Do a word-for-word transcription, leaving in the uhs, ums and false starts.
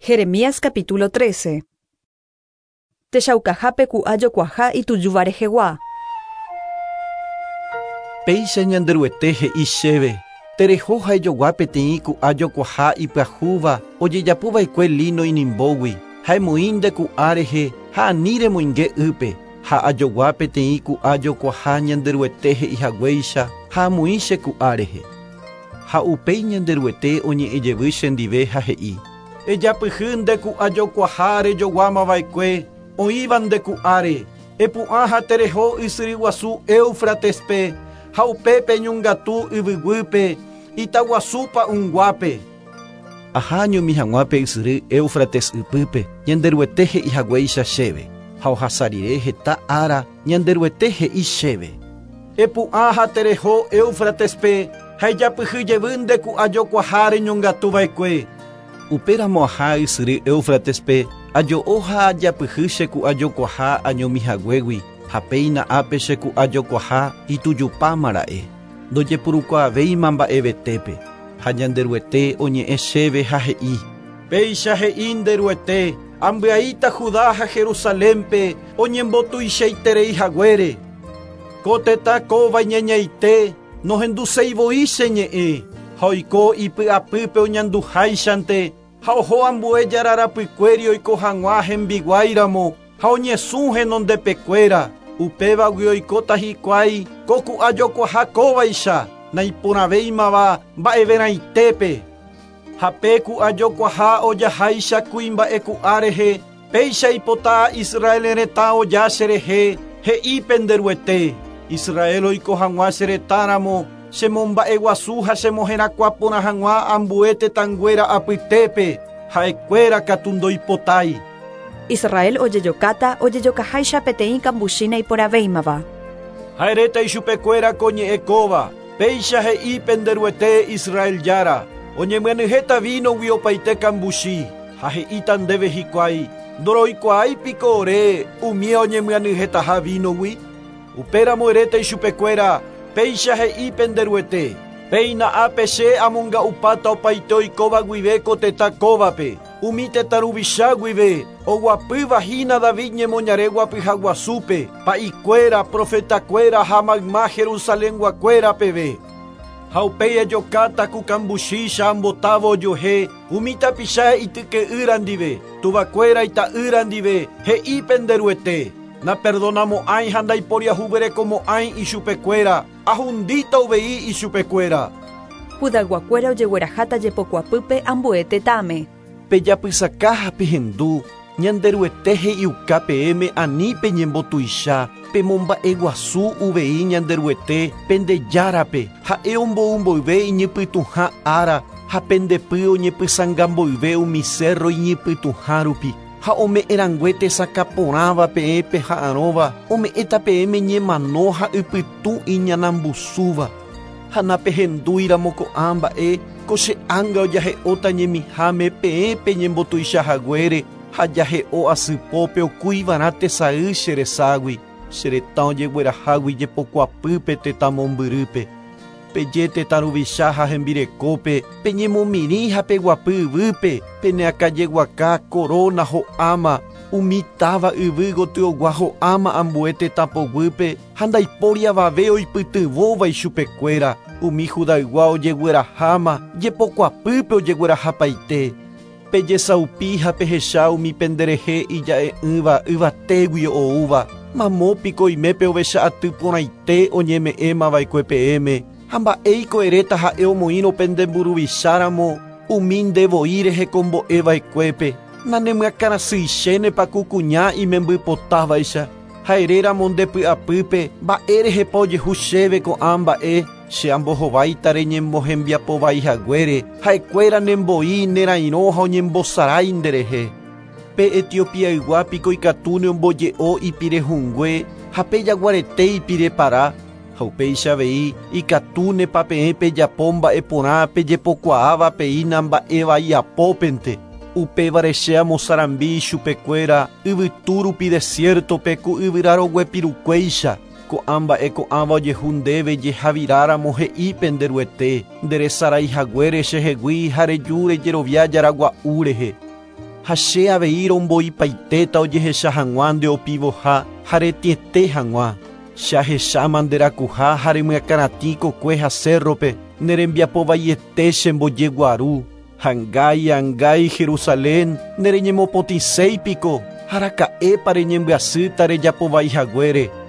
Jeremías capítulo trece. Techaukahápe ku'a jokuaha itujúva rehegua. Péicha Ñanderuete he'i chéve, tereho ha ejogua peteĩ ku'a jokuaha ipyahúva ojejapóva'ekue lino inimbógui, ha emoĩ nde ku'a rehe ha ani remoinge ýpe, ha ajogua peteĩ ku'a jokuaha Ñanderuete he'ihaguéicha ha amoĩ che ku'a rehe. Ha upéi Ñanderuete oñe'ẽjevy chendive ha he'i: Ejapyhy nde ku'a jokuaha rejoguámava'ekue oĩva nde ku'áre, epu'ã ha tereho ysyry guasu Éufratespe ha upépe eñongatu yvyguýpe itaguasúpa unguápe. Aha añomi hag̃ua pe ysyry Éufrates ypýpe Ñanderuete he'ihaguéicha chéve, ha ohasa rire heta ára Ñanderuete he'i chéve: Epu'ã ha tereho Éufratespe ha ejapyhy jevy nde ku'a jokuaha reñongatuva'ekue. Upéramo aha ysyry Éufratespe ajo'o ha ajapyhy che ku'a jokuaha añomihaguégui ha péina ápe che ku'a jokuaha itujupámara'e, ndojepurukuaavéima mba'evetépe. Ha Ñanderuete oñe'ẽ chéve ha he'i: Péicha he'i Nderuete, ambyaíta Judá ha Jerusalénpe oñembotuichaiterei haguére. Ko tetã kóva iñañaite nohenduseivoi che ñe'ẽ, ha oiko ipy'apýpe oñanduháichante, ha oho ambue jararapykuéri oiko hag̃ua hembiguáiramo ha oñesũ henondepekuéra. Upévagui oikóta hikuái ko ku'a jokuaha kóvaicha naiporãvéimava mba'everãitépe. Ha pe ku'a jokuaha ojaháicha kuimba'e ku'a rehe, péicha ipota Israel retã oja cherehe, he'i Penderuete. Israel oiko hag̃ua che retãramo, chemomba'eguasu ha chemoherakuãporã hag̃ua ambue tetãnguéra apytépe, ha'ekuéra katu ndoipotái. Israel ojejokáta ojejokaháicha peteĩ kambuchína iporãvéimava. Ha eréta ichupekuéra ko ñe'ẽ kóva, péicha he'i Penderuete Israel Jára, oñemyenyhẽta vínogui opaite kambuchi, ha he'íta ndéve hikuái, ndoroikuaáipiko ore umi oñemyenyhẽtaha vínogui. Upéramo eréta ichupekuéra, péicha he'i Penderuete, péina ápe che amonga'upáta opaite oikóva guive ko tetã kóvape, umi tetã ruvicha guive, oguapýva hína David ñemoñare guapyhaguasúpe, pa'ikuéra, profetakuéra ha mayma Jerusalenguakuéra peve. Ha upéi ejokáta ku kambuchícha ambotávo ojuehe, umi tapicha ityke'ýra ndive, tuvakuéra ita'ýra ndive, he'i Penderuete. Naperdonamo'ãi ha ndaiporiahuverekomo'ãi ichupekuéra, ahundíta uvei ichupekuéra. Judayguakuéra ojegueraháta jepokuapýpe ambue tetãme. Pejapysaka ha pehendu, Ñanderuete he'iuka peẽme ani peñembotuicha, pemomba'eguasu uvei Ñanderuete pendejárape, ha'e omboumboyve iñypytũha ára ha pendepy oñepysãngamboyve umi cerro iñypytũha rupi, ha ome'ẽrangue tesakãporãva peẽ peha'arõva, ome'ẽta peẽme ñemano ha ypytũ iñanambusúva. Ha napehendúiramo ko'ã mba'e, ko che ánga ojahe'óta ñemiháme peẽ peñembotuichahaguére, ha jahe'o asypópe okuivarã tesay che reságui, che retã ojeguerahágui jepokuapýpe tetã mombyrýpe. Peje tetã ruvicha ha hembirekópe, peñemomirĩ ha peguapy yvýpe, peneakãjeguaka korona ho'áma, umi táva yvy gotyogua ho'áma ambue tetã poguýpe ha ndaipóri avave oipytyvõva ichupekuéra, umi Judaygua ojegueraháma, jepokuapýpe ojeguerahapaite. Pejesaupi ha pehecha umi penderehe ija'e'ỹva yvatégui oúva, mamópiko oimépe ovecha aty porãite oñeme'ẽmava'ekue peẽme, ha mba'éiko eréta ha'e omoĩrõ pende mburuvicháramo umi ndevoi rehekombo'eva'ekuépe, nanemyakãrasýichénepa ku kuña imembypotávaicha, ha eréramo ndepy'apýpe mba'érehepa ojehu chéve ko'ã mba'e, che ambohováita reñembohembiapovaihaguére, ha'ekuéra nemboi nerairõ ha oñembosarái nderehe. Pe Etiopiaygua piko ikatúne omboje'o ipirehũngue ha pe jaguarete ipirepara, ha upéicha avei ikatúnepa peẽ pejapo mba'eporã pejepokuaáva peína mba'evaiapópente. Upévare che amosarambi ichupekuéra yvytu rupi desiertope ku yvyraroguepirukuéicha, ko'ã mba'e ko'ãva ojehu ndéve jehaviráramo he'i Penderuete, nderesaraihaguére chehegui ha reju rejerovia jaragua'u rehe. Ha che avei romboipaitéta ojehecha hag̃ua nde opivoha ha retiete hag̃ua. Che ahecháma nde rakuha ha remyakãratĩ kokue ha cerro-pe nerembiapovaiete chembojeguaru. Angái, angái, Jerusalén, nereñemopotĩséipiko, araka'épa reñembyasýta rejapovaihaguére.